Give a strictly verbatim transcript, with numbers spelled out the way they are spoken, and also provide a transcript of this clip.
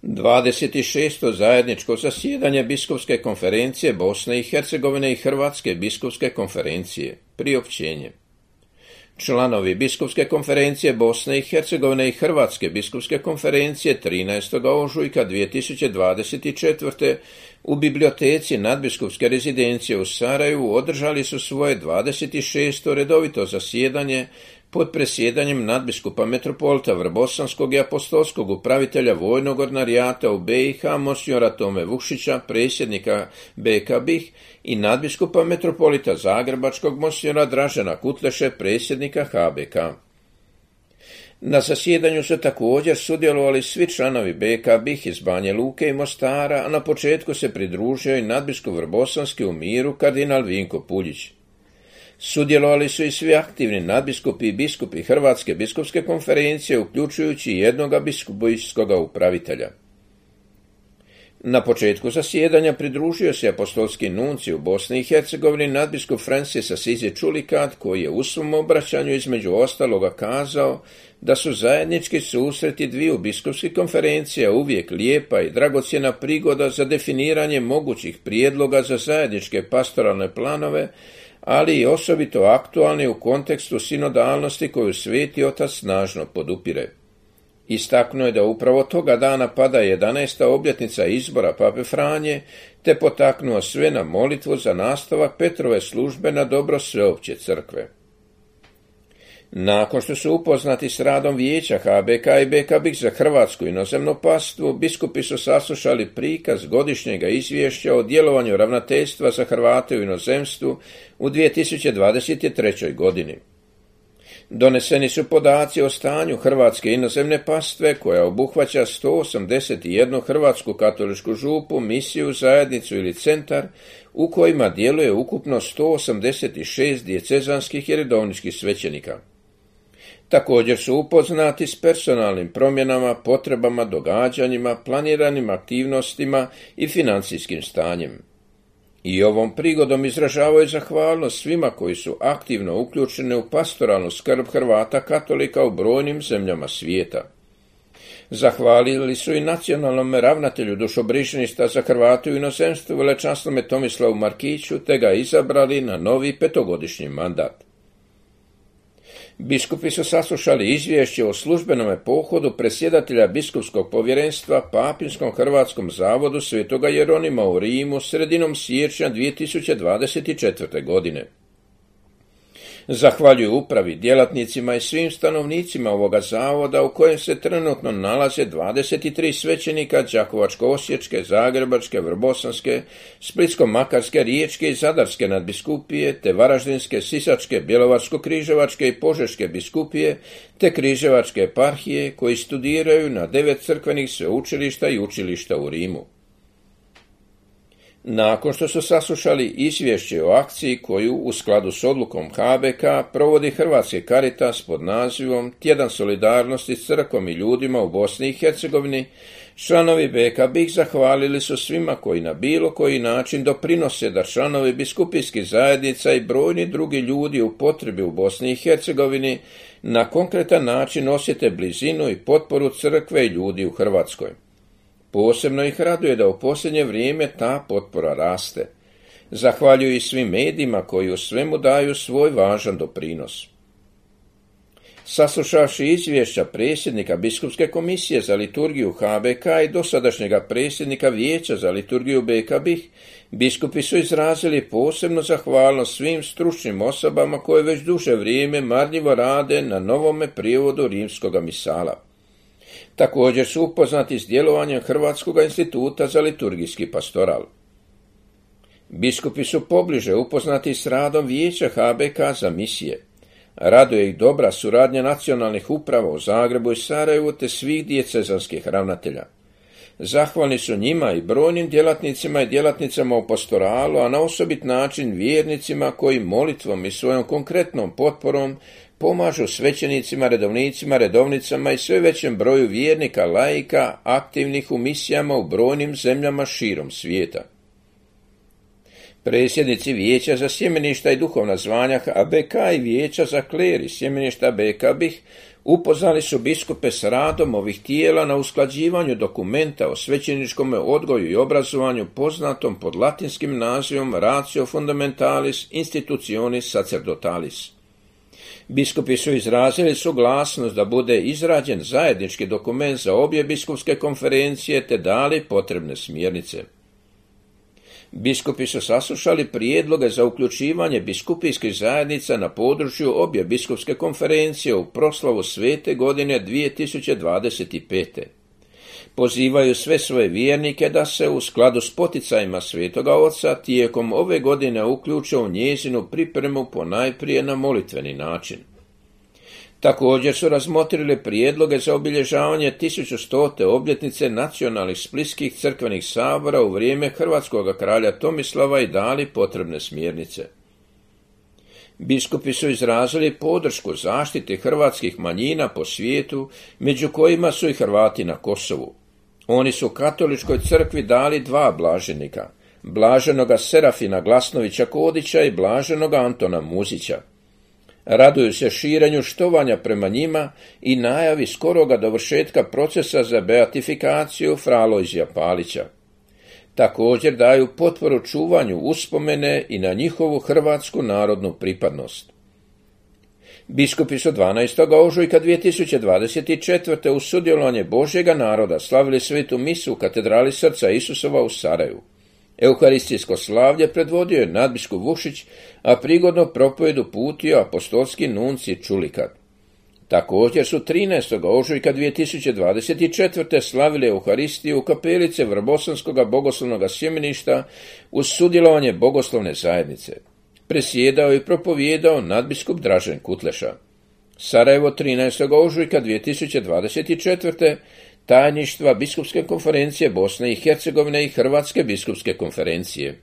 dvadeset šesto zajedničko zasjedanje Biskupske konferencije Bosne i Hercegovine i Hrvatske biskupske konferencije. Priopćenje. Članovi Biskupske konferencije Bosne i Hercegovine i Hrvatske biskupske konferencije trinaestog ožujka dvije tisuće dvadeset četvrte. u biblioteci nadbiskupske rezidencije u Sarajevu održali su svoje dvadeset šesto redovito zasjedanje pod presjedanjem nadbiskupa metropolita Vrbosanskog i apostolskog upravitelja vojnog ordinarijata u B i H monsignora Tome Vukšića, predsjednika B K B I H, i nadbiskupa metropolita Zagrebačkog monsignora Dražena Kutleše, predsjednika H B K. Na zasjedanju su također sudjelovali svi članovi B K B I H iz Banje Luke i Mostara, a na početku se pridružio i nadbiskup Vrbosanski u Miru kardinal Vinko Puljić. Sudjelovali su i svi aktivni nadbiskupi i biskupi Hrvatske biskupske konferencije, uključujući jednoga biskupijskog upravitelja. Na početku zasjedanja pridružio se apostolski nuncij u Bosni i Hercegovini nadbiskup Francis Assisi Čulikat, koji je u svom obraćanju između ostaloga kazao da su zajednički susreti dviju biskupskih konferencija uvijek lijepa i dragocjena prigoda za definiranje mogućih prijedloga za zajedničke pastoralne planove, ali i osobito aktualni u kontekstu sinodalnosti koju Sveti Otac snažno podupire. Istaknuo je da upravo toga dana pada jedanaesta obljetnica izbora Pape Franje, te potaknuo sve na molitvu za nastavak Petrove službe na dobro sveopće crkve. Nakon što su upoznati s radom vijeća H B K i B K B I H za Hrvatsku inozemno pastvu, biskupi su saslušali prikaz godišnjega izvješća o djelovanju ravnateljstva za Hrvate u inozemstvu u dvije tisuće dvadeset trećoj. godini. Doneseni su podaci o stanju Hrvatske inozemne pastve, koja obuhvaća sto osamdeset jednu hrvatsku katoličku župu, misiju, zajednicu ili centar, u kojima djeluje ukupno sto osamdeset šest dijecezanskih i redovničkih svećenika. Također su upoznati s personalnim promjenama, potrebama, događanjima, planiranim aktivnostima i financijskim stanjem. I ovom prigodom izražavaju zahvalnost svima koji su aktivno uključeni u pastoralnu skrb Hrvata katolika u brojnim zemljama svijeta. Zahvalili su i nacionalnom ravnatelju dušobrižništva za Hrvate u inozemstvu velečasnome Tomislavu Markiću, te ga izabrali na novi petogodišnji mandat. Biskupi su saslušali izvješće o službenom pohodu predsjedatelja biskupskog povjerenstva Papinskom Hrvatskom zavodu Svetoga Jeronima u Rimu sredinom siječnja dvije tisuće dvadeset četvrte. godine. Zahvaljuju upravi, djelatnicima i svim stanovnicima ovoga zavoda, u kojem se trenutno nalaze dvadeset tri svećenika Đakovačko-osječke, Zagrebačke, Vrbosanske, Splitsko-makarske, Riječke i Zadarske nadbiskupije, te Varaždinske, Sisačke, Bjelovarsko-križevačke i Požeške biskupije, te Križevačke eparhije, koji studiraju na devet crkvenih sveučilišta i učilišta u Rimu. Nakon što su saslušali izvješće o akciji koju, u skladu s odlukom H B K, provodi Hrvatski Caritas pod nazivom Tjedan solidarnosti s crkvom i ljudima u Bosni i Hercegovini, članovi B K B I H zahvalili su svima koji na bilo koji način doprinose da članovi biskupijskih zajednica i brojni drugi ljudi u potrebi u Bosni i Hercegovini na konkretan način osjete blizinu i potporu crkve i ljudi u Hrvatskoj. Posebno ih raduje da u posljednje vrijeme ta potpora raste. Zahvaljuju i svim medijima koji u svemu daju svoj važan doprinos. Saslušavši izvješća predsjednika Biskupske komisije za liturgiju H B K i dosadašnjega predsjednika Vijeća za liturgiju B K B I H, biskupi su izrazili posebnu zahvalnost svim stručnim osobama koje već duže vrijeme marljivo rade na novome prijevodu rimskoga misala. Također su upoznati s djelovanjem Hrvatskog instituta za liturgijski pastoral. Biskupi su pobliže upoznati s radom Vijeća H B K za misije. Raduje ih dobra suradnja nacionalnih uprava u Zagrebu i Sarajevu te svih dijecezanskih ravnatelja. Zahvalni su njima i brojnim djelatnicima i djelatnicama u pastoralu, a na osobit način vjernicima koji molitvom i svojom konkretnom potporom pomažu svećenicima, redovnicima, redovnicama i sve većem broju vjernika, laika, aktivnih u misijama u brojnim zemljama širom svijeta. Predsjednici Vijeća za sjemeništa i duhovna zvanja A B K i Vijeća za kler i sjemeništa B K B I H upoznali su biskupe s radom ovih tijela na usklađivanju dokumenta o svećeničkom odgoju i obrazovanju poznatom pod latinskim nazivom Ratio Fundamentalis Institutionis Sacerdotalis. Biskupi su izrazili suglasnost da bude izrađen zajednički dokument za obje biskupske konferencije te dali potrebne smjernice. Biskupi su saslušali prijedloge za uključivanje biskupijskih zajednica na području obje biskupske konferencije u proslavu svete godine dvije tisuće dvadeset pete. Pozivaju sve svoje vjernike da se u skladu s poticajima Svetoga Oca tijekom ove godine uključe u njezinu pripremu ponajprije na molitveni način. Također su razmotrili prijedloge za obilježavanje tisuću stote obljetnice nacionalnih splitskih crkvenih sabora u vrijeme hrvatskog kralja Tomislava i dali potrebne smjernice. Biskupi su izrazili podršku zaštiti hrvatskih manjina po svijetu, među kojima su i Hrvati na Kosovu. Oni su katoličkoj crkvi dali dva blaženika, blaženoga Serafina Glasnovića Kodića i blaženoga Antona Muzića. Raduju se širenju štovanja prema njima i najavi skoroga dovršetka procesa za beatifikaciju fra Alojzija Palića. Također daju potporu čuvanju uspomene i na njihovu hrvatsku narodnu pripadnost. Biskupi su dvanaestog ožujka dvije tisuće dvadeset četvrte uz sudjelovanje Božjega naroda slavili svetu misu u katedrali Srca Isusova u Sarajevu. Euharistijsko slavlje predvodio je nadbiskup Vušić, a prigodno propovedu putio apostolski nunci Čulikat. Također su trinaestog ožujka dvije tisuće dvadeset četvrte slavili Euharistiju u kapelice Vrbosanskog bogoslovnog sjemeništa uz sudjelovanje bogoslovne zajednice. Presjedao i propovijedao nadbiskup Dražen Kutleša. Sarajevo trinaestog ožujka dvije tisuće dvadeset četvrte tajništva Biskupske konferencije Bosne i Hercegovine i Hrvatske biskupske konferencije.